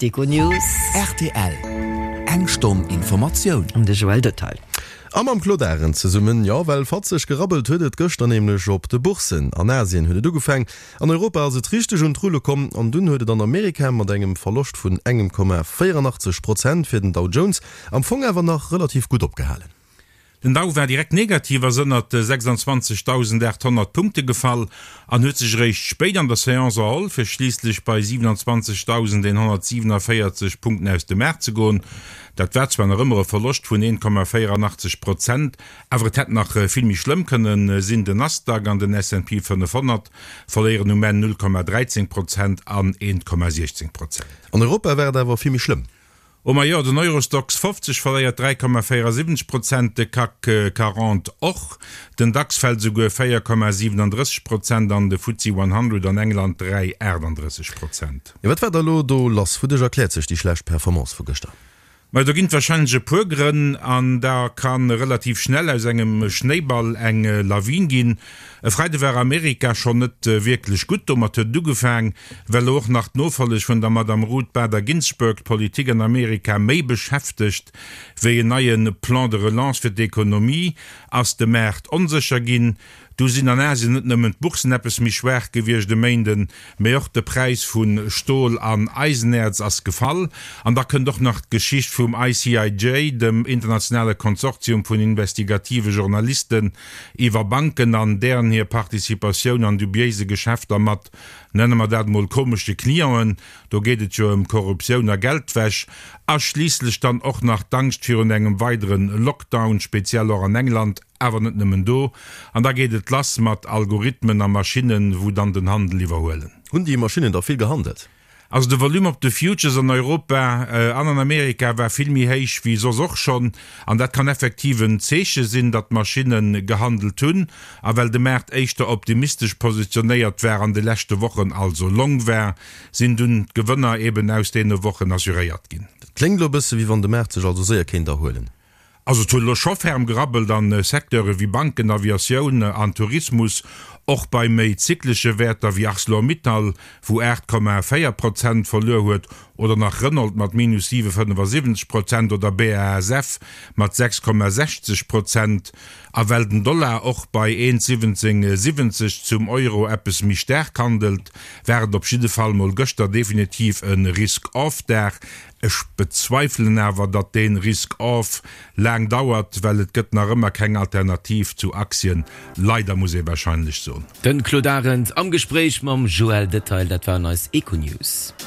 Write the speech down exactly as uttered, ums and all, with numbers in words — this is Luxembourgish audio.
D'Econews. Rtl, Eng Stonn Informatioun. An de Joël Detail. A mam Claude Arend zesummen. Jo, well fatzeg gerabbelt huet et gëschter nämlech op de Bourssen. An Asien huet et ugefaang, an Europa ass et richteg un d'Rulle komm an dunn huet et an Amerika mat engem Verloscht vun engem Komma véierandachtzeg Prozent fir den Dow Jones am Fong awer nach relativ gutt opgehalen. Den Dow war direkt negativ, ass ënnert sechsundzwanzegdausendachthonnert Punkte gefall an huet sech eréischt spéit an der Seance erholl, fir schliisslech bei siewenundzwanzegdausendeenhonnertsiewenavéierzeg Punkten aus dem Maart ze goen. Dat war zwar nach ëmmer e Verloscht vun een Komma véierandachtzeg Prozent, awer et hätt nach vill méi schlëmm kënne sinn. Den Nasdaq an den S and P fënnefhonnert verléieren um Enn null Komma dräizéng Prozent an eent Komma siechzéng Prozent. An Europa war et awer vill méi schlëmm. Oh majo, den Eurostoxx fofzeg verléiert dräi Komma véierasiwwenzeg Prozent, de CAC quarante och, den DAX fält esouguer véier Komma siwenandrësseg Prozent an de FTSE hundred an England dräi aachtandrësseg Prozent. Jo, wat war da lo do lass? Wouduerch erkläert sech déi schlecht Performance vu gëschter? Majo, do ginn et warscheinlech e puer Grënn an da ka relativ schnell aus engem Schnéiball eng Lawin ginn. E Freide war Amerika schonn net wierklech gutt, domat huet et ugefaang, well elo och nach d'Nofolleg vun der Madame Ruth Bader Ginsburg d'Politik an Amerika méi beschäftegt wéi en neie Plan de relance fir d'Ekonomie, ass de Maart onsécher ginn. Du sinn an Asien net nëmmen d'Bourssen eppes méi schwaach gewiescht e Méinden, mee och de Präis vu Stol an Eisenäerz ass gefall. An da kënnt och nach d'Geschicht vum I C I J, dem internationale Konsortium vun investigative Journalisten, iwwer Banken an dären hir Participatioun an dubiéise Geschäfter mat, nenne mer dat mol, komesche Clienten, do geet et jo ëm Korruptioun a Geldwäsch, a schliisslech dann och nach d'Angscht virun engem weidere Lockdown, speziell och an England, awer net nëmmen do. An da geet et lass mat Algorithmen a Maschinnen, wou dann den Handel iwwerhuelen. Hunn déi Maschinnen da vill gehandelt? Also de Volume op de Futures an Europa an an Amerika war vill méi héich wéi soss och schonn. An dat kann effektiv en Zeeche sinn, datt d'Maschinne gehandelt hunn. A well de Maart éischter optimistesch positionéiert war an de leschte Wochen, also long war, sinn dunn d'Gewënner eben aus deene Wochen assuréiert ginn. Dat kléngt elo e bësse wéi wann de Maart sech also séier kéint erhuelen. Also et huet elo scho ferm gerabbelt an Secteure wéi Banken, Aviatioun an Tourismus, och bei méi zyklesche Wäerter wéi Arcelor-Mittal, wou aacht Komma véier Prozent verluer huet, oder nach Renault mat minus siwe fënnefasiwwenzeg Prozent oder B A S F mat sechs Komma sechzeg Prozent. A well den Dollar och bei eent siwwenzéng siwwenzeg zum Euro eppes méi staark handelt, war et op jidde Fall mol gëschter definitiv e Risk-off-Dag. Ech bezweifelen awer, datt deen Risk-off laang dauert, well et gëtt nach ëmmer keng Alternativ zu Aktien. Leider, muss ee wahrscheinlech soen. Den Claude Arend am Gespréich mam Joël Detail. Dat waren eis Econews.